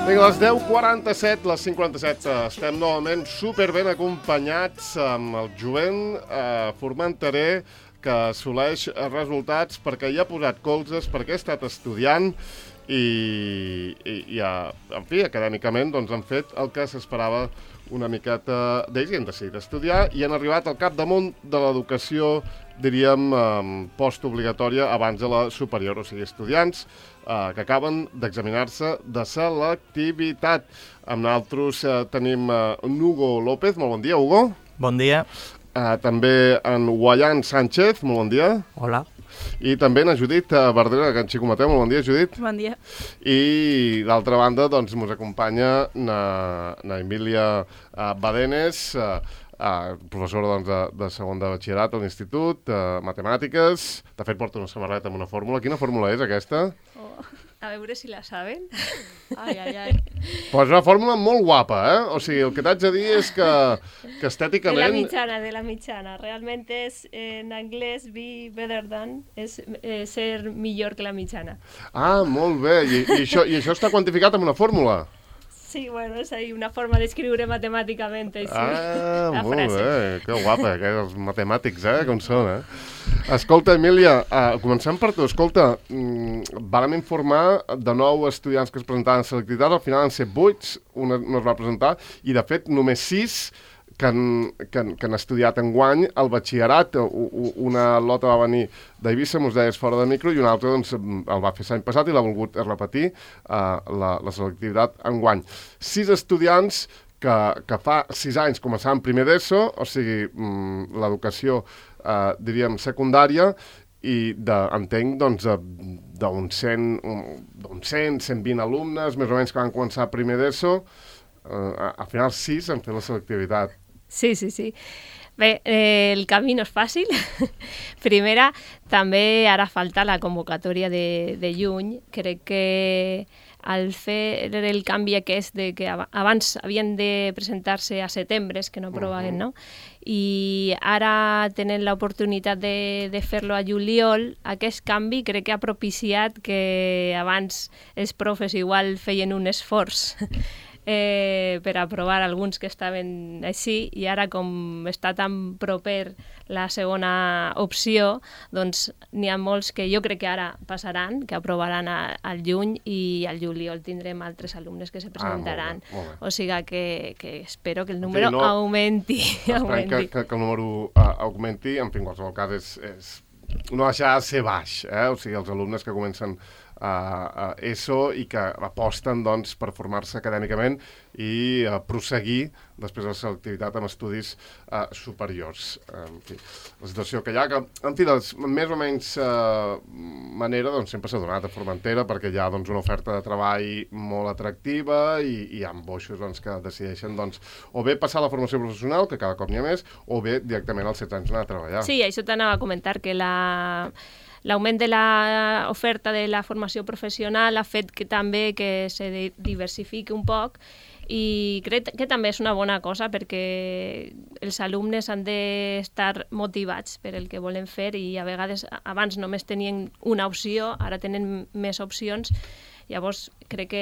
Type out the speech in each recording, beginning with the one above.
Vinga, a les 10:47, les 5:47, estem novament superben acompanyats amb el jovent Formenterer, que assoleix resultats perquè hi ha posat colzes, perquè ha estat estudiant i en fi, acadèmicament doncs, han fet el que s'esperava una miqueta d'ells i han decidit estudiar i han arribat al capdamunt de l'educació, diríem, postobligatòria abans de la superior, o sigui, estudiants que acaben d'examinar-se de selectivitat. Amb nosaltres tenim Hugo López. Molt bon dia, Hugo. Bon dia. També en Guayán Sánchez. Molt bon dia. Hola. I també en Judit Verdera, que en Xico Mateu. Molt bon dia, Judit. Bon dia. I d'altra banda, doncs, ens acompanya na Emília Badenes, professora doncs, de segon de batxillerat a l'Institut, Matemàtiques. De fet, porta una samarreta amb una fórmula. Quina fórmula és, aquesta? A veure si la saben. Ai, ai, ai. Però és una fórmula molt guapa, eh? O sigui, el que t'haig de dir és que estèticament... De la mitjana. Realment és, en anglès, be better than, és ser millor que la mitjana. Ah, molt bé. I això està quantificat amb una fórmula? Sí, bueno, és una forma d'escriure matemàticament així, la molt frase. Bé, que guapa, que els matemàtics, com són, Escolta, Emília, comencem per tu. Escolta, vàrem informar de 9 estudiants que es presentaven a selectivitat, al final han set 8, un es va presentar, i de fet només 6 que han estudiat enguany el batxillerat. Una lota va venir d'Eivissa, mos deies fora de micro, i una altra doncs, el va fer l'any passat i l'ha volgut repetir la selectivitat enguany. 6 estudiants que fa 6 anys començaven primer d'ESO, o sigui, l'educació, diríem, secundària, i entenc doncs, d'uns 120 alumnes, més o menys, que van començar primer d'ESO. Al final 6 han fet la selectivitat. Sí. Bé, el camí no és fàcil. Primera, també ara falta la convocatòria de juny. Crec que al fer el canvi aquest de que abans havien de presentar-se a setembre, que no aprovaven, no? I ara tenen l'oportunitat de fer-lo a juliol, aquest canvi crec que ha propiciat que abans els profes igual feien un esforç per aprovar alguns que estaven així, i ara com està tan proper la segona opció, doncs n'hi ha molts que jo crec que ara passaran, que aprovaran al juny, i al juliol tindrem altres alumnes que se presentaran. Molt bé. O sigui que espero que el número augmenti. Esperem que el número augmenti. En fi, en qualsevol cas, no deixarà de ser baix, o sigui, els alumnes que comencen a ESO i que aposten doncs, per formar-se acadèmicament i prosseguir després de la selectivitat amb estudis superiors. En fi, la situació que hi ha, que, en fi, de més o menys manera, doncs, sempre s'ha donat a Formentera, perquè hi ha doncs, una oferta de treball molt atractiva i hi ha boixos doncs, que decideixen doncs, o bé passar a la formació professional, que cada cop n'hi ha més, o bé directament als 16 anys anar a treballar. Sí, això t'anava a comentar, que l'augment de l'oferta de la formació professional ha fet que també que se diversifiqui un poc, i crec que també és una bona cosa perquè els alumnes han d'estar motivats per el que volen fer, i a vegades abans només tenien una opció, ara tenen més opcions. Llavors crec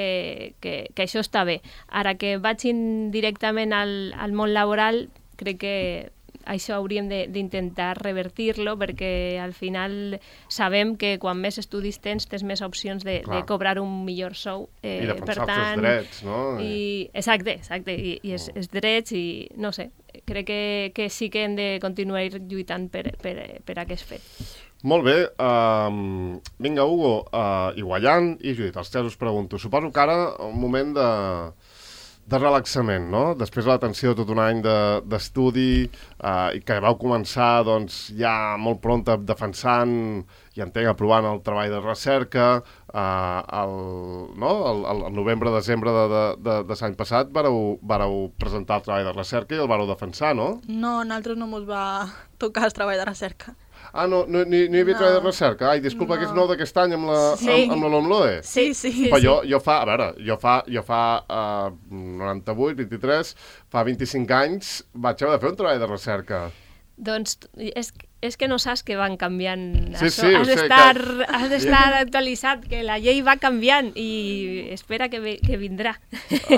que això està bé. Ara que vagin directament al món laboral, crec que això hauríem d'intentar revertir-lo, perquè al final sabem que quan més estudis tens més opcions de cobrar un millor sou. I de pensar els teus drets, no? Exacte. I els drets, i no sé, crec que sí que hem de continuar lluitant per aquest fet. Molt bé. Vinga, Hugo, i Guayán i Judit, els tres us pregunto. Suposo que ara un moment de relaxament, no? Després de la tensió de tot un any d'estudi i que vau començar doncs, ja molt pront defensant i entenc aprovant el treball de recerca, el novembre-desembre de l'any passat vareu presentar el treball de recerca i el vareu defensar, no? No, a nosaltres no ens va tocar el treball de recerca. Ah, no hi havia treball de recerca? Ai, disculpa, que és nou d'aquest any amb la LOMLOE. Sí. Però jo fa 98, 23, fa 25 anys vaig haver de fer un treball de recerca. Doncs és que no saps que van canviant. Sí, això. sí, Has d'estar actualitzat, que la llei va canviant i espera que vindrà.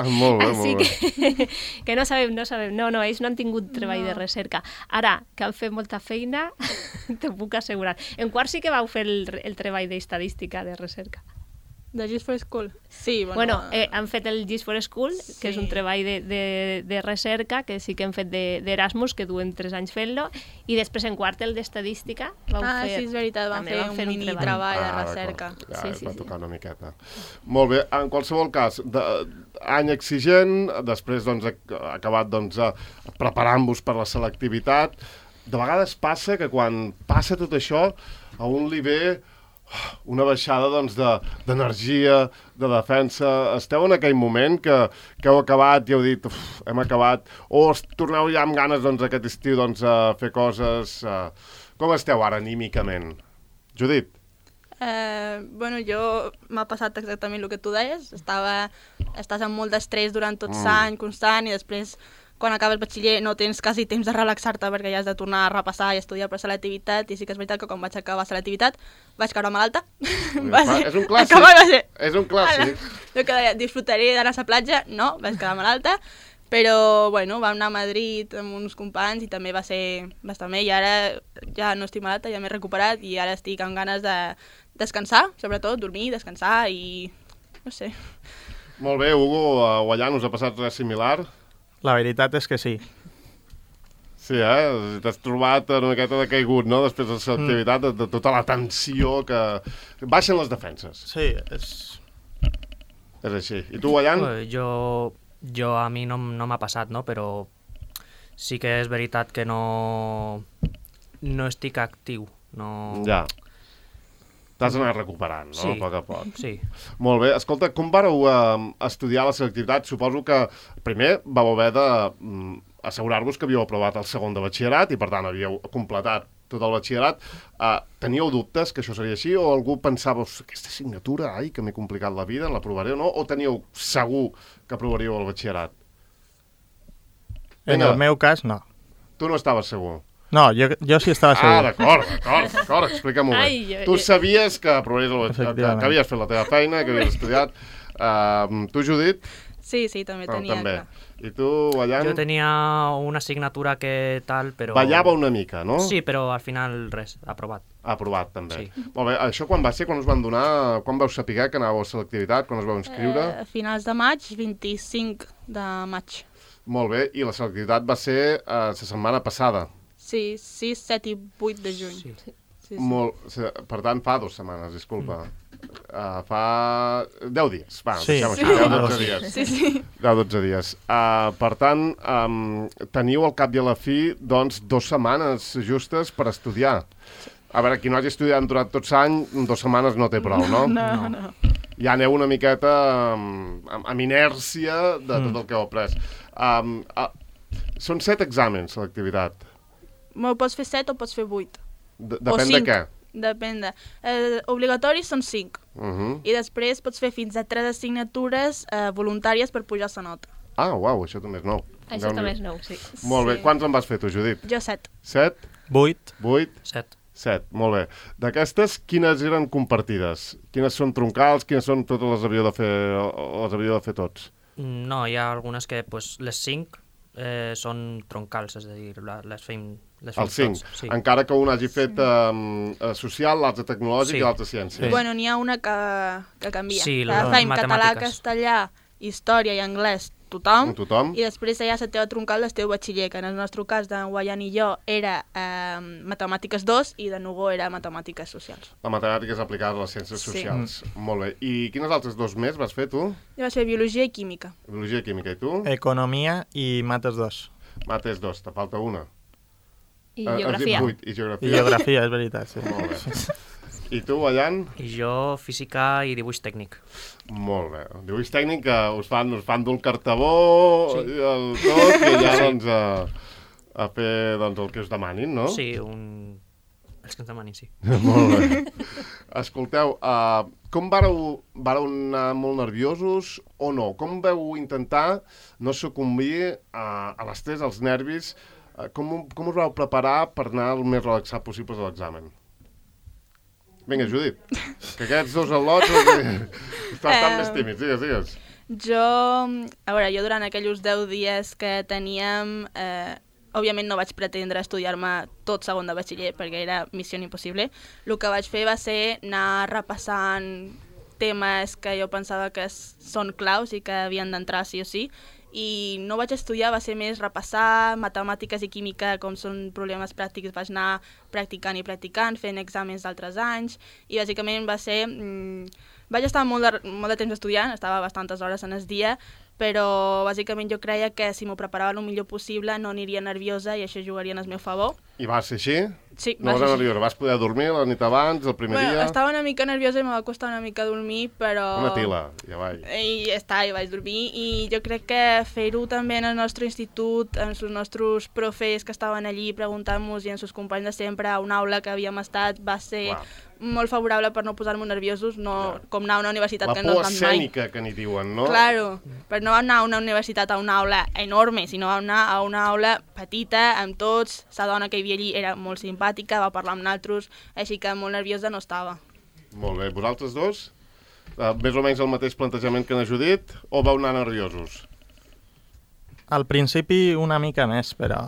Molt bé, Així molt bé. que no sabem. No, ells no han tingut treball de recerca. Ara, que han fet molta feina, t'ho puc assegurar. En quart sí que vau fer el treball d'estadística de recerca. De Just for School? Sí, Bueno, han fet el Gist for School, que és un Sí. treball de recerca, que sí que hem fet d'Erasmus, que duen 3 anys fent-lo, i després en quart el d'estadística vau fer... Sí, és veritat, van també fer vam un mini treball de recerca. Ja, Sí, va sí. tocar una miqueta. Molt bé, en qualsevol cas, any exigent, després doncs, acabat doncs, preparant-vos per la selectivitat. De vegades passa que quan passa tot això, a un li ve una baixada doncs, d'energia, de defensa. Esteu en aquell moment que heu acabat i heu dit hem acabat, o torneu ja amb ganes doncs, aquest estiu doncs, a fer coses... Com esteu ara anímicament? Judit? Bueno, m'ha passat exactament el que tu deies. Estàs amb molt d'estrès durant tot l'any, constant, i després, quan acabes batxiller, no tens quasi temps de relaxar-te perquè ja has de tornar a repassar i estudiar per selectivitat, i sí que és veritat que quan vaig acabar selectivitat vaig caure malalta. És un clàssic. És un clàssic. Jo que deia, disfrutaré d'anar a la platja, no, vaig quedar malalta, però, bueno, vam anar a Madrid amb uns companys i també va ser bastant bé, i ara ja no estic malalta, ja m'he recuperat i ara estic amb ganes de descansar, sobretot, dormir, descansar i... no sé. Molt bé, Hugo, a Guallant us ha passat res similar? La veritat és que sí. Sí, t'has trobat una miqueta de caigut, no?, després de la selectivitat, de tota la tensió que... Baixen les defenses. Sí, És així. I tu, Guallant? Jo a mi no m'ha passat, no? Però sí que és veritat que no estic actiu. No... Ja. T'has anat recuperant, no?, Sí. a poc a poc. Sí. Molt bé. Escolta, com vareu estudiar la selectivitat? Suposo que primer vau haver de assegurar-vos que havíeu aprovat el segon de batxillerat i, per tant, havíeu completat tot el batxillerat. Teníeu dubtes que això seria així? O algú pensava, aquesta assignatura, ai, que m'he complicat la vida, l'aprovaré o no? O teníeu segur que aprovaríeu el batxillerat? en el meu cas, no. Tu no estaves segur? No, jo sí estava segur. D'acord, explica-m'ho bé. Ai, Tu sabies que aprovaries el batxillerat, Efectivament. que havies fet la teva feina, que havies estudiat. Tu, Judit? Sí, també tenia també. clar. I tu, Ballant? Jo tenia una assignatura que tal, però... Ballava una mica, no? Sí, però al final res, aprovat. Aprovat, també. Sí. Molt bé, això quan va ser? Quan us van donar? Quan vau saber que anàveu a selectivitat? Quan us vau inscriure? A finals de maig, 25 de maig. Molt bé, i la selectivitat va ser la setmana passada. Sí, 6, 7 i 8 de juny. Sí. Sí. Per tant, fa 2 setmanes, disculpa. Fa 10 dies. Va, Sí. deixem Sí. així, 10-12 dies. Sí. 10-12 dies. Per tant, teniu al cap i a la fi, doncs, 2 setmanes justes per estudiar. A veure, qui no hagi estudiat durant tot l'any, 2 setmanes no té prou, no? No. Ja aneu una miqueta amb inèrcia de tot el que heu après. Són 7 exàmens, l'activitat. Pots fer 7 o pots fer 8. Depèn de què. Depèn de... Obligatoris són 5. I després pots fer fins a 3 assignatures voluntàries per pujar la nota. Ah, uau, això també és nou. Això també és nou, sí. Molt bé. Sí. Quants en vas fer tu, Judit? Jo 7. 7? 8. 8? 7. 7, molt bé. D'aquestes, quines eren compartides? Quines són troncals? Quines són totes les havíeu de fer tots? No, hi ha algunes que pues, les 5 són troncals, és a dir, les fem Els 5. tots. Sí. Encara que un hagi fet social, l'altre tecnològic i l'altre ciència. Sí. Bueno, n'hi ha una que canvia. Sí, Fem català, matemàtiques. castellà, història i anglès, tothom. Tothom? I després hi ha la teva troncal del teu batxiller, que en el nostre cas, d'en Guaian i jo, era matemàtiques 2 i de Nugo era matemàtiques socials. La matemàtica és aplicada a les ciències Sí. socials. Molt bé. I quines altres 2 més vas fer, tu? Jo vaig fer biologia i química. Biologia i química. I tu? Economia i mates 2. Mates 2, te falta una. I Has dit geografia. 8, i geografia. I geografia, és veritat, sí. Molt bé. I tu, Ballant? I jo, física i dibuix tècnic. Molt bé. Dibuix tècnic que us fan dur el cartabó Sí. i el tot, i ja doncs a fer doncs, el que us demanin, no? Sí, els que ens demanin, sí. Molt bé. Escolteu, com vareu anar molt nerviosos o no? Com veu intentar no sucumbir a l'estrès, als nervis, Com us vau preparar per anar el més relaxat possible a l'examen? Vinga, Judit, que aquests dos al·lots estan més tímids, digues. Jo durant aquells 10 dies que teníem, òbviament no vaig pretendre estudiar-me tot segon de batxiller perquè era missió impossible. El que vaig fer va ser anar repassant temes que jo pensava que són claus i que havien d'entrar sí o sí, i no vaig estudiar, va ser més repassar matemàtiques i química, com són problemes pràctics, vaig anar practicant i practicant, fent exàmens d'altres anys, i bàsicament va ser... Vaig estar molt de temps estudiant, estava bastantes hores en el dia, però bàsicament jo creia que si m'ho preparava el millor possible no aniria nerviosa i això jugaria en el meu favor. I va ser així? Sí, no vas ser nerviosa. Vas poder dormir la nit abans, el primer dia? Estava una mica nerviosa i me va costar una mica dormir, però... Una tila, ja vaig. I ja està, i vaig dormir. I jo crec que fer-ho també en el nostre institut, amb els nostres profes que estaven allí preguntant-nos i amb els companys de sempre a una aula que havíem estat, va ser... Clar. Molt favorable per no posar-nos nerviosos, com anar a una universitat que no has anat mai. La por escènica que n'hi diuen, no? Claro, per no anar a una universitat a una aula enorme, sinó anar a una aula petita, amb tots, la dona que hi havia allí era molt simpàtica, va parlar amb nosaltres, així que molt nerviosa no estava. Molt bé, vosaltres dos? Més o menys el mateix plantejament que n'ha Judit, o vau anar nerviosos? Al principi una mica més, però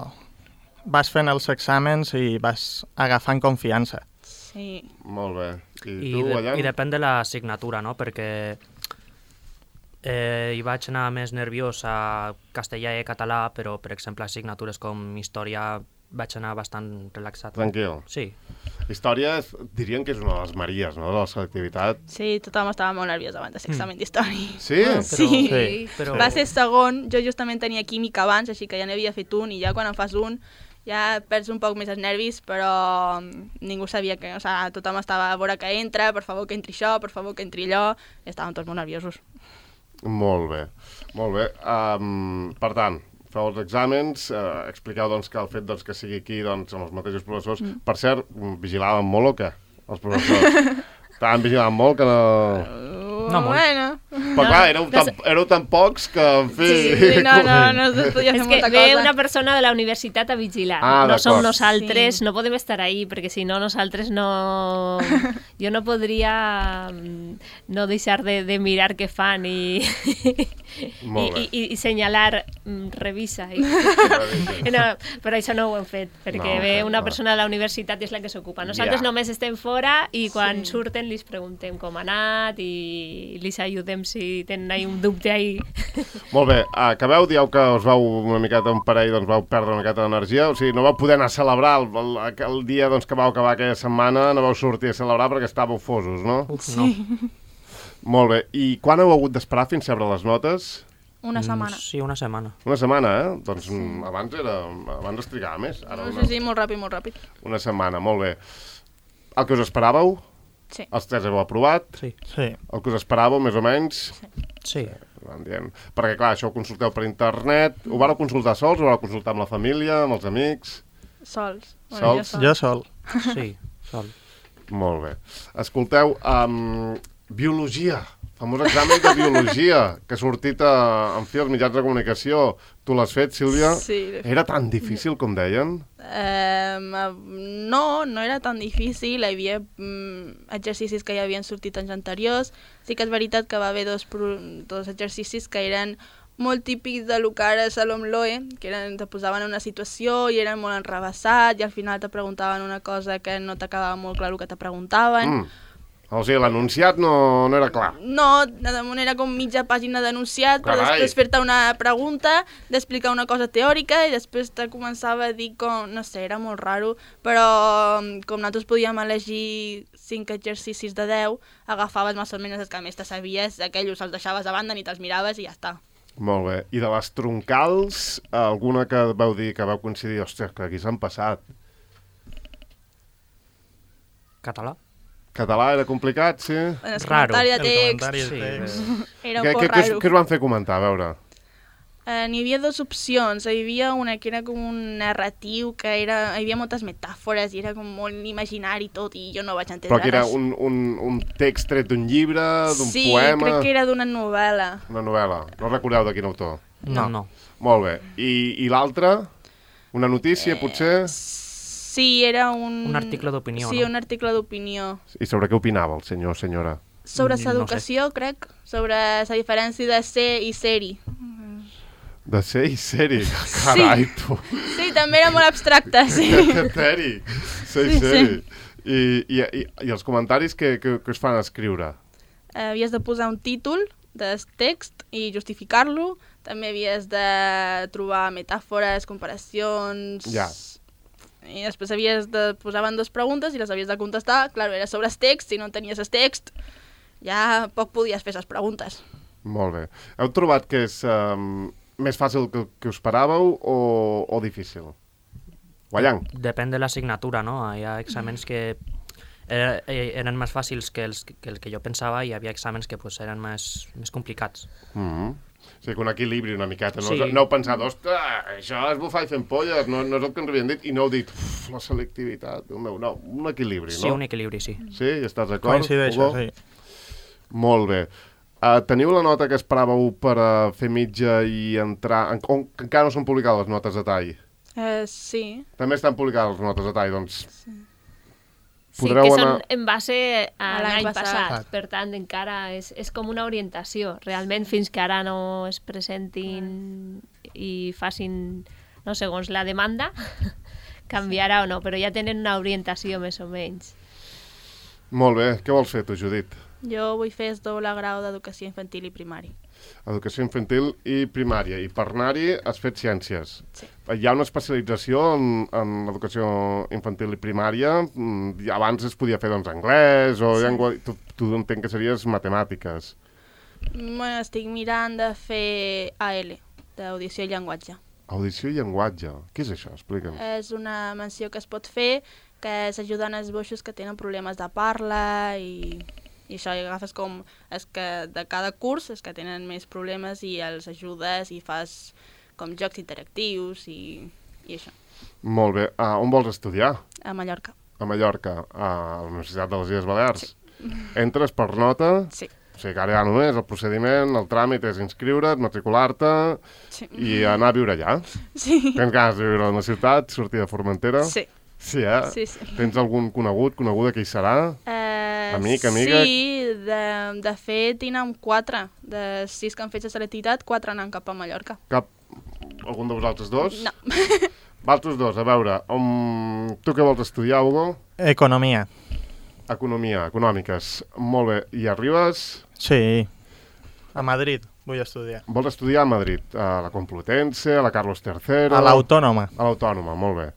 vas fent els exàmens i vas agafant confiança. Sí. Molt bé. I tu, Allan? I depèn de l'assignatura, no? Perquè hi vaig anar més nerviós a castellà i català, però, per exemple, assignatures com història vaig anar bastant relaxat. Tranquil. Sí. Història dirien que és una de les maries, no?, de la selectivitat. Sí, tothom estava molt nerviós abans de l'examen d'història. Sí? Sí. Però... Va ser segon, jo justament tenia química abans, així que ja n'havia fet un, i ja quan en fas un ja perds un poc més els nervis, però ningú sabia que... O sigui, tothom estava a veure que entra, per favor que entri això, per favor que entri allò, i estàvem tots molt nerviosos. Molt bé, molt bé. Per tant, feu els exàmens, expliqueu doncs, que el fet doncs, que sigui aquí doncs, amb els mateixos professors... Per cert, vigilaven molt o què, els professors? Estaven vigilant molt que no... No molt. Bueno. Però clar, éreu tan pocs que, en fi... Sí, no es podia fer És que molta ve cosa. una persona de la universitat a vigilar. Ah, no som d'acord. nosaltres, Sí. no podem estar ahí, perquè si no, nosaltres no... Jo no podria no deixar de mirar què fan i senyalar, revisa. No, però això no ho hem fet, perquè ve una persona de la universitat i és la que s'ocupa. Nosaltres només estem fora i quan surten li preguntem com ha anat i li ajudem si tenen un dubte ahí. Molt bé, acabeu, dieu que us vau una miqueta un parell, doncs vau perdre una miqueta d'energia, o sigui, no vau poder anar a celebrar el dia doncs, que vau acabar aquella setmana, no vau sortir a celebrar perquè estàveu fosos, no? No. Molt bé, i quan heu hagut d'esperar fins a rebre les notes? Una setmana. Sí, una setmana. Una setmana, Doncs abans es trigava més. Ara Sí, molt ràpid. Una setmana, molt bé. El que us esperàveu? Sí. Els tres heu aprovat? Sí. Sí. El que us esperàveu, més o menys? Sí. Van dient. Perquè, clar, això ho consulteu per internet. Ho vareu consultar sols? Ho vareu consultar amb la família, amb els amics? Sols. Sols? Jo sol. Sí, sol. Molt bé. Escolteu, biologia. Famós examen de biologia que ha sortit en fi als mitjans de comunicació. Tu l'has fet, Sílvia? Sí. Era tan difícil com deien? No era tan difícil, hi havia exercicis que ja havien sortit anys anteriors. Sí que és veritat que va haver dos exercicis que eren molt típics de lo que ara és l'OMLOE, que te posaven en una situació i eren molt enrevessats i al final te preguntaven una cosa que no t'acabava molt clar el que te preguntaven. O sigui, l'enunciat no era clar. No, damunt era com mitja pàgina d'enunciat, però Carai. després fer-te una pregunta, d'explicar una cosa teòrica i després te començava a dir com, no sé, era molt raro, però com nosaltres podíem elegir 5 exercicis de 10, agafaves més o menys els que més te sabies, aquells els deixaves a banda, ni te'ls miraves i ja està. Molt bé. I de les troncals, alguna que vau dir, que vau coincidir, ostres, que aquí s'han passat? Català? Català era complicat, sí? En el Raro. comentari de El text comentari de Sí. text. era un poc raro. Què us van fer comentar, a veure? N'hi havia dues opcions. Hi havia una que era com un narratiu, que era, hi havia moltes metàfores i era com molt imaginari tot i jo no vaig entendre Però que era res. un text tret d'un llibre, d'un Sí, poema... crec que era d'una novel·la. Una novel·la. No recordeu de quin autor? No. Molt bé. I l'altre? Una notícia, potser? Sí, era Un article d'opinió, Sí, no? un article d'opinió. I sobre què opinava el senyor o senyora? Sobre No l'educació, crec. Sobre la diferència de ser i ser-hi. De ser i ser-hi. Carai, tu. Sí, també era molt abstracte, sí. Que ser-hi. Ser i Sí, ser-hi. I els comentaris que us fan escriure? Havies de posar un títol del text i justificar-lo. També havies de trobar metàfores, comparacions... Ja. I després posaven dues preguntes i les havies de contestar. Clar, era sobre el text, si no tenies el text, ja poc podies fer les preguntes. Molt bé. Heu trobat que és més fàcil que us esperàveu o difícil? Guanyant. Depèn de l'assignatura, no? Hi ha exàmens que eren més fàcils que el que jo pensava i hi havia exàmens que pues, eren més complicats. O sigui, que un equilibri una miqueta. No, Sí. no heu pensat, ostres, això és bufar i fent polles, no és el que ens havien dit, i no heu dit, la selectivitat, Déu meu, no, un equilibri, Sí, no? un equilibri, sí. Sí, hi estàs d'acord? Coincideixo, Hugo? sí. Molt bé. Teniu la nota que esperàveu per fer mitja i entrar... Que encara no són publicades les notes de tall. Sí. També estan publicades les notes de tall, doncs... Sí, Podreu que són anar- en base a A l'any l'any passat. passat. Per tant, encara és com una orientació. Realment, fins que ara no es presentin i facin, no, segons la demanda, canviarà o no, però ja tenen una orientació més o menys. Molt bé. Què vols fer tu, Judit? Jo vull fer el doble grau d'educació infantil i primari. Educació infantil i primària. I per anar-hi has fet ciències. Sí. Hi ha una especialització en l'educació infantil i primària. I abans es podia fer, doncs, anglès o llengua... Tu entenc que series matemàtiques. Bueno, estic mirant de fer AL, d'audició i llenguatge. Audició i llenguatge. Què és això? Explica'm. És una menció que es pot fer, que s'ajuden els boixos que tenen problemes de parla i això, i agafes com els que de cada curs, els que tenen més problemes i els ajudes i fas com jocs interactius i això, Molt bé. On vols estudiar? a Mallorca. A Mallorca, a la Universitat de les Illes Balears. Entres per nota, Sí, o sigui que ara ja només el procediment, el tràmit és inscriure't, matricular-te sí. i anar a viure allà. Sí, Tens ganes de viure a una ciutat, sortir de Formentera? sí. Sí, eh? Sí, sí. Tens algun coneguda que hi serà? Amic, amiga? Sí, de fet, tinc 4. De 6 que han fet la selectivitat, 4 anant cap a Mallorca. Algun de vosaltres dos? No. Vosaltres dos, a veure, tu què vols estudiar, Hugo? Economia. Economia, econòmiques. Molt bé. I arribes... Sí. A Madrid vull estudiar. Vols estudiar a Madrid, a la Complutense, a la Carlos III... A l'Autònoma. A l'Autònoma, molt bé.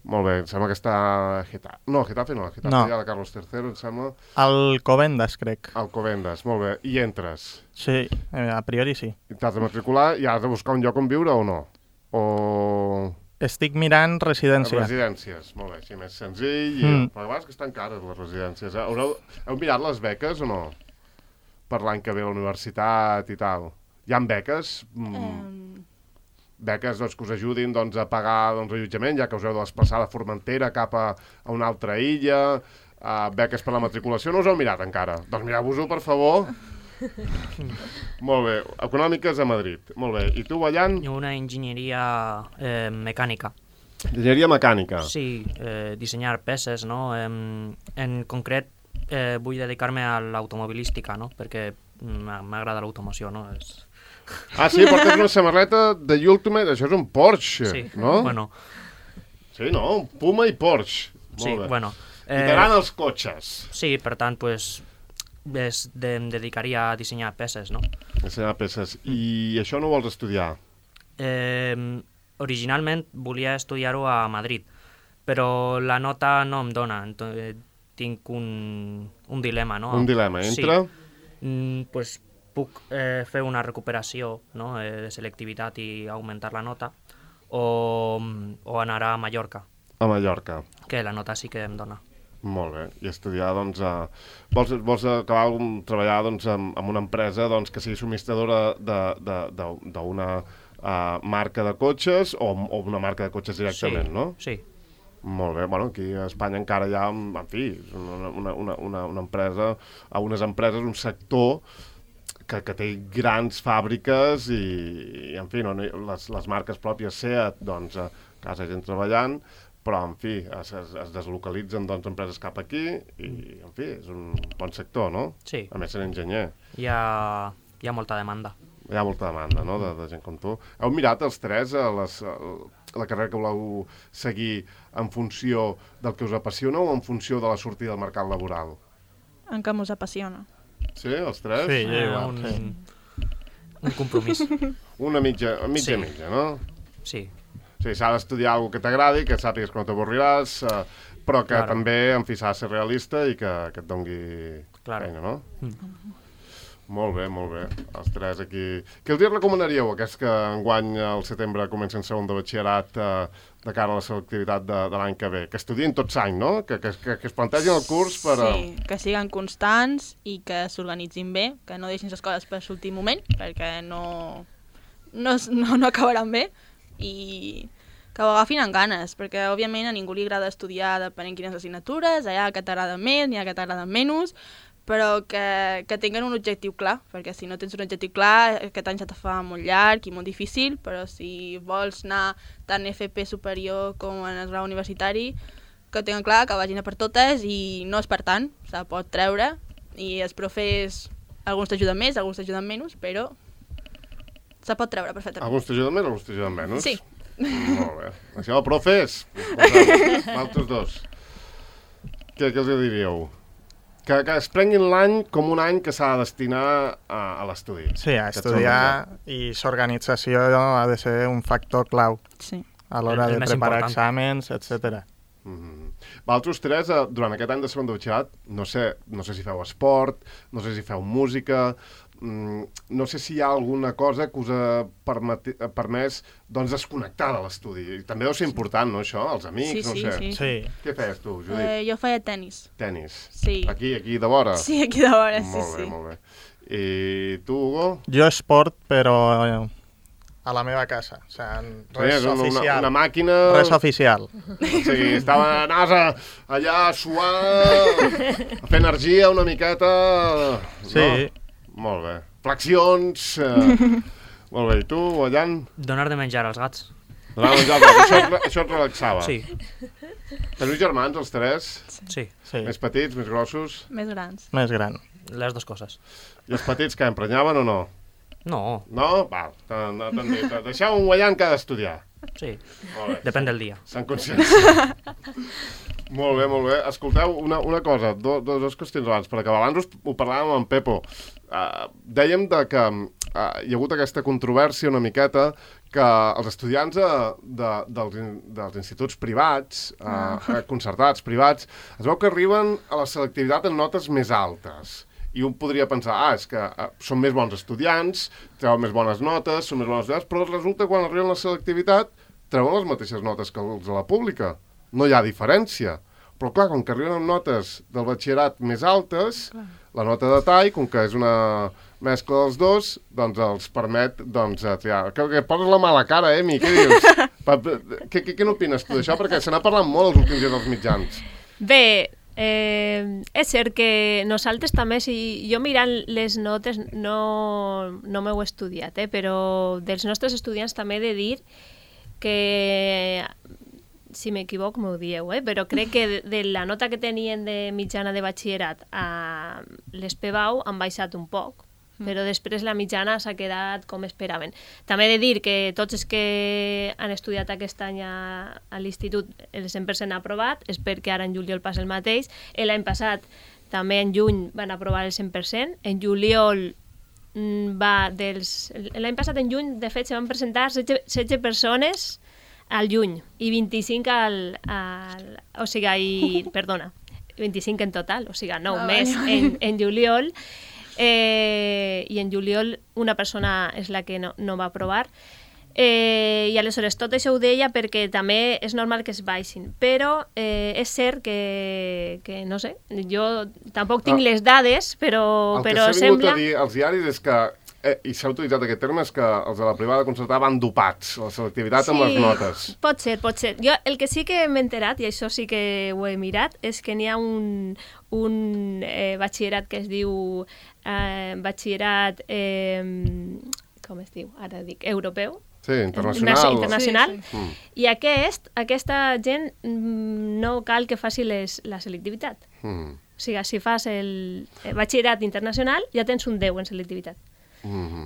Molt bé, em sembla que està a Getafe. No, a Getafe no, a Getafe No. hi ha la Carlos III, em sembla. Alcobendas, crec. Alcobendas, molt bé. I entres. Sí, a priori sí. I t'has de matricular i has de buscar un lloc on viure o no? O... Estic mirant residència. Residències, molt bé, així més senzill. I... Però a vegades que estan cares les residències. Heu mirat les beques o no? Per l'any que ve a la universitat i tal. Hi ha beques? Beques doncs, que us ajudin doncs, a pagar doncs, allotjament, ja que us heu de desplaçar de Formentera cap a una altra illa, beques per la matriculació, no us heu mirat encara? Doncs mireu-vos-ho, per favor. Molt bé, econòmiques a Madrid, molt bé. I tu, Ballant? Una enginyeria mecànica. Enginyeria mecànica. Sí, dissenyar peces, no? En concret, vull dedicar-me a l'automobilística, no? Perquè m'agrada l'automoció, no? Ah, sí, portes una samarreta de Ultimate, això és un Porsche, Sí, no? bueno, Sí, no? Un Puma i Porsche. Molt sí, bé. bueno. I t'agraden els cotxes. Sí, per tant, pues, em dedicaria a dissenyar peces, no? Ensenyar peces. I això no ho vols estudiar? Originalment volia estudiar-ho a Madrid, però la nota no em dona, tinc un dilema, no? Un dilema, entra? Sí. Pues puc fer una recuperació, no? De selectivitat i augmentar la nota, o anar a Mallorca, A Mallorca. que la nota sí que em dona. Molt bé. I estudiar, doncs... Vols acabar treballar doncs, amb una empresa doncs, que sigui subministradora d'una marca de cotxes o una marca de cotxes directament, sí, no? Sí. Molt bé. Bueno, aquí a Espanya encara hi ha, en fi, una empresa, unes empreses, un sector que té grans fàbriques i en fi, no, les marques pròpies SEAT, doncs, casa gent treballant, però, en fi, es deslocalitzen doncs, empreses cap aquí i, en fi, és un bon sector, no? Sí. A més, ser enginyer. Hi ha molta demanda. Hi ha molta demanda, no?, de gent com tu. Heu mirat els tres la carrera que voleu seguir en funció del que us apassiona o en funció de la sortida al mercat laboral? En què us apassiona. Sí, els tres? Sí, igual, Un compromís. Una mitja, Sí. no? Sí. Sí, s'ha d'estudiar alguna que t'agradi, que sàpigues que no t'avorriràs, però que Claro. també, en fi, s'ha de ser realista i que et doni Claro. feina, no? Molt bé, molt bé. Els tres aquí. Què els hi recomanaríeu, aquests que enguany al setembre comencen segon de batxillerat de cara a la selectivitat de l'any que ve? Que estudien tots any, no? Que es plantegin el curs per... Sí, que siguen constants i que s'organitzin bé, que no deixin les coses per l'últim moment, perquè no acabaran bé, i que ho agafin amb ganes, perquè òbviament a ningú li agrada estudiar depenent quines assignatures, hi ha que t'agrada més, n'hi ha que t'agrada menys, però que tinguin un objectiu clar, perquè si no tens un objectiu clar, aquest any se te fa molt llarg i molt difícil, però si vols anar tant FP superior com en el grau universitari, que tinguin clar que vagin a per totes i no és per tant, se pot treure, i els profes, alguns t'ajuden més, alguns t'ajuden menys, però se pot treure perfectament. Alguns t'ajuden més, alguns t'ajuden menys? Sí. Molt bé. Això, profes, altres dos. Què els diríeu? Que es prenguin l'any com un any que s'ha de destinar a l'estudi. Sí, a estudiar i l'organització ha de ser un factor clau Sí. a l'hora El de més preparar important. exàmens, etc. Vosaltres tres, durant aquest any de segon de batxillerat, no sé si feu esport, no sé si feu música, no sé si hi ha alguna cosa que us ha permès doncs, desconnectar de l'estudi. També deu ser important, no, això? Els amics, no sé. Sí. Sí. Què feies tu, Judit? Jo feia tennis. Tenis. Sí. Aquí de vora? Sí, aquí de vora, sí, Molt bé, sí. molt bé. I tu, Hugo? Jo esport, però a la meva casa. O sigui, res oficial. Una màquina... Res oficial. O sigui, anaves allà a suar, a fer energia una miqueta... Sí. No? Molt bé. Flexions... Molt bé. I tu, Allan? Donar de menjar als gats. Això et relaxava? Sí, Teniu germans, els tres? sí. Sí. Més petits, més grossos? Més grans. Més gran. Les dues coses. I els petits que emprenyaven o no? No, No? Val. T'han dit, deixeu un Allan que ha d'estudiar. sí. Molt bé. Depèn del dia. Sant conscients. Molt bé, molt bé. Escolteu, una cosa, dues qüestions abans, per acabar. Abans ho parlàvem amb Pepo. Dèiem que hi ha hagut aquesta controvèrsia una miqueta que els estudiants dels instituts privats, concertats, privats, es veu que arriben a la selectivitat en notes més altes. I un podria pensar, és que són més bons estudiants, treuen més bones notes, són més bons estudiants, però resulta que quan arriben a la selectivitat treuen les mateixes notes que els de la pública. No hi ha diferència. Però clar, com que arriben amb notes del batxillerat més altes, la nota de tall, com que és una mescla dels dos, doncs els permet triar. Que poses la mala cara, Mi, què dius? Què n'opines tu d'això? Perquè se n'ha parlat molt els últims dies als mitjans. Bé, és cert que nosaltres també, si jo mirant les notes, no m'ho he estudiat, però dels nostres estudiants també he de dir que, si m'equivoco m'ho dieu, però crec que de la nota que tenien de mitjana de batxillerat a l'ESPEBAU han baixat un poc, però després la mitjana s'ha quedat com esperaven. També he de dir que tots els que han estudiat aquest any a l'institut el 100% ha aprovat, és perquè ara en juliol passa el mateix. L'any passat també en juny van aprovar el 100%, en juliol l'any passat en juny de fet se van presentar 16 persones al juny i 25 perdona, 25 en total, o sigui 9 més en juliol. I en juliol una persona és la que no va aprovar, i aleshores tot això ho deia perquè també és normal que es baixin, però és cert que no sé, jo tampoc tinc les dades, però El que s'ha vingut sembla... a dir als diaris és que i s'ha utilitzat aquest terme, és que els de la privada concertada van dopats, la selectivitat amb les notes. Pot ser. Jo el que sí que m'he enterat, i això sí que ho he mirat, és que n'hi ha un batxillerat que es diu batxillerat, com es diu? Ara dic, europeu. Sí, internacional. Sí. I aquesta gent no cal que faci la selectivitat. O sigui, si fas el batxillerat internacional, ja tens un 10 en selectivitat.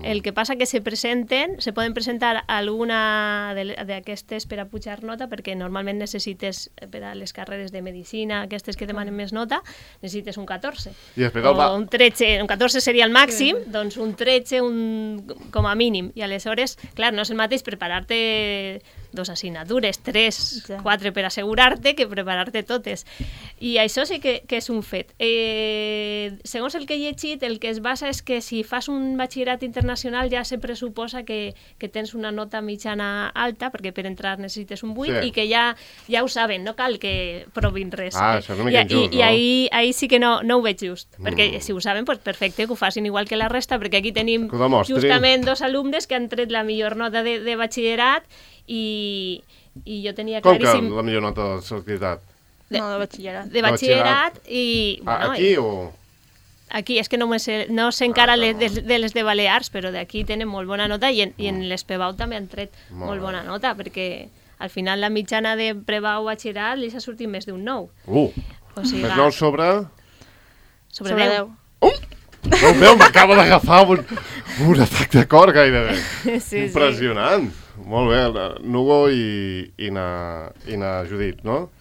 El que passa que se poden presentar alguna d'aquestes per a pujar nota, perquè normalment necessites, per a les carreres de medicina, aquestes que demanen més nota, necessites un 14. I després o un 13, un 14 seria el màxim, doncs un 13 com a mínim. I aleshores, clar, no és el mateix preparar-te 2 assignatures, 3, 4 per assegurar-te que preparar-te totes. I això sí que és un fet. Segons el que he llegit, el que es basa és que si fas un batxillerat internacional ja se pressuposa que tens una nota mitjana alta, perquè per entrar necessites un 8, i que ja ho saben, no cal que provin res. Això és una mica injust, no? I ahí sí que no ho veig just, perquè si ho saben, doncs perfecte, que ho facin igual que la resta, perquè aquí tenim justament 2 alumnes que han tret la millor nota de batxillerat i jo tenia claríssim... Com que la millor nota de selectivitat? No, de batxillerat. De batxillerat i... Aquí o...? Aquí, és que no sé encara de les de Balears, però d'aquí tenen molt bona nota i en les Pebau també han tret molt bona nota, perquè al final la mitjana de Pebau batxillerat li s'ha sortit més d'un 9. O sigui, més 9 sobre... Sobre 10. No veu, m'acaba d'agafar un atac de cor gairebé. Sí, impressionant. Molt bé, Nugo i na Judit, no?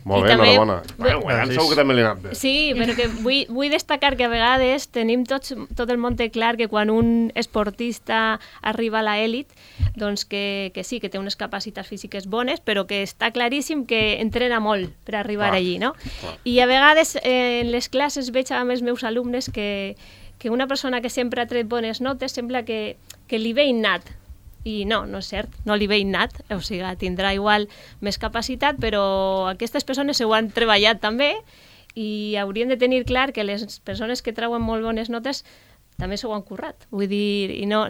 Molt bé, enhorabona. Guanyant segur que també li ha anat bé. Sí, però que vull destacar que a vegades tenim tot el món té clar que quan un esportista arriba a l'elit, doncs que sí, que té unes capacitats físiques bones, però que està claríssim que entrena molt per arribar allí, no? I a vegades en les classes veig amb els meus alumnes que una persona que sempre ha tret bones notes sembla que li ve innat. I no és cert, no li ve innat, o sigui, tindrà igual més capacitat, però aquestes persones ho han treballat també i haurien de tenir clar que les persones que treuen molt bones notes també s'ho han currat, vull dir, i no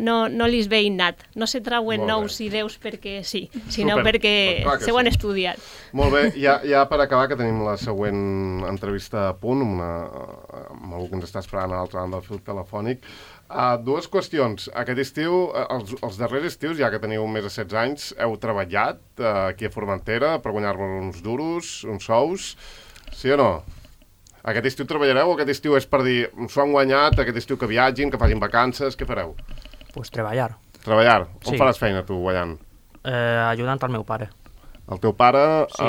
li ve innat, no se treuen 9 i 10 perquè sí, sinó perquè s'ho han estudiat. Molt bé, ja per acabar, que tenim la següent entrevista a punt, amb algú que ens està esperant a l'altra banda del fil telefònic. 2 qüestions. Aquest estiu, els darrers estius, ja que teniu més de 16 anys, heu treballat aquí a Formentera per guanyar-vos uns duros, uns sous, sí o no? Aquest estiu treballareu o aquest estiu és per dir s'ho han guanyat, aquest estiu que viatgin, que facin vacances, què fareu? Pues treballar. Treballar? On Sí. faràs feina tu, guanyant? Ajudant al meu pare. El teu pare Sí.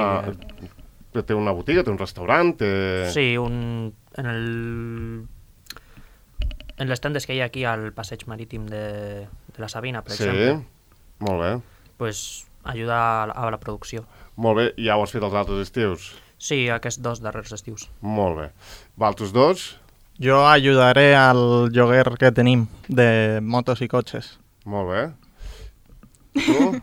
té una botiga, té un restaurant, té... Sí, en les tendes que hi ha aquí al passeig marítim de la Sabina, per exemple, molt bé. pues ajuda a la producció. Molt bé, ja ho has fet els altres estius? Sí, aquests 2 darrers estius. Molt bé. Valtos 2? Jo ajudaré al lloguer que tenim de motos i cotxes. Molt bé. Tu?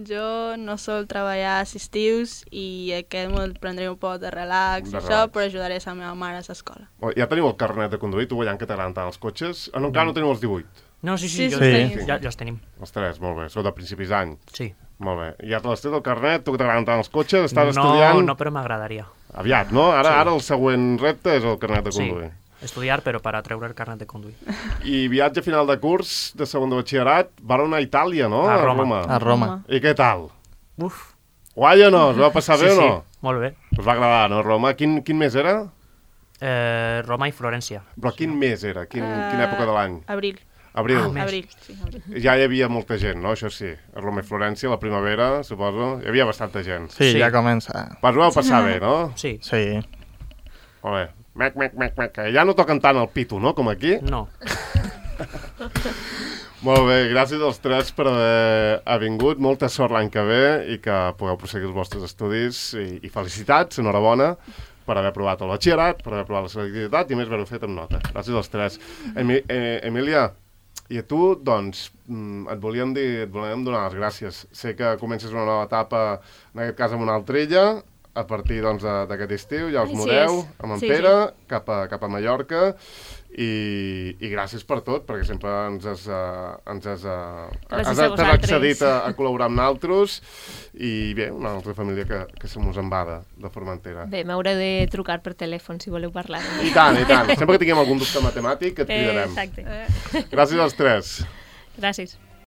Jo no sol treballar als estius i aquest me'l prendré un poc de relax, però ajudaré la meva mare a l'escola. Ja teniu el carnet de conduir, tu guanyant que t'agraden tant els cotxes? Encara no teniu els 18? No, sí, Sí, ja els tenim. Els 3, molt bé. Sou de principis d'any. Sí. Molt bé. Ja te l'has tret el carnet, tu que t'agraden tant els cotxes, estàs estudiant... No, però m'agradaria. Aviat, no? Ara el següent repte és el carnet de conduir. Sí, estudiar, però per a treure el carnet de conduir. I viatge final de curs de segon de batxillerat, van anar a Itàlia, no? A Roma. A Roma. I què tal? Uf. Guai o no? Es va passar bé o no? Sí, molt bé. Us va agradar, no, Roma? Quin mes era? Roma i Florència. Però quin mes era? Quina època de l'any? Abril. Abril. Abril, sí, abril. Ja hi havia molta gent, no? Això sí. A Roma i Florència, la primavera, suposo, hi havia bastanta gent. Sí, Sí. ja comença. Però us ho vau passar bé, no? Sí. Sí. Molt bé. Mec. Ja no toquen tant el pito, no?, com aquí. No. Molt bé, gràcies als 3 per haver vingut. Molta sort l'any que ve i que pugueu proseguir els vostres estudis. I felicitats, enhorabona, per haver aprovat el batxillerat, per haver aprovat la selectivitat i a més haver-ho fet amb nota. Gràcies als 3. Emília, i a tu, doncs, et volíem donar les gràcies. Sé que comences una nova etapa, en aquest cas amb una altra illa, a partir doncs, d'aquest estiu, ja us Així mudeu és. amb en Sí, Pere cap a Mallorca i gràcies per tot, perquè sempre Gràcies a t'has vosaltres. accedit a col·laborar amb nosaltres i bé, una altra família que se mos en va de Formentera. Bé, m'haureu de trucar per telèfon si voleu parlar. I tant, i tant. Sempre que tinguem algun dubte matemàtic et cridarem. Exacte. Gràcies als tres. Gràcies.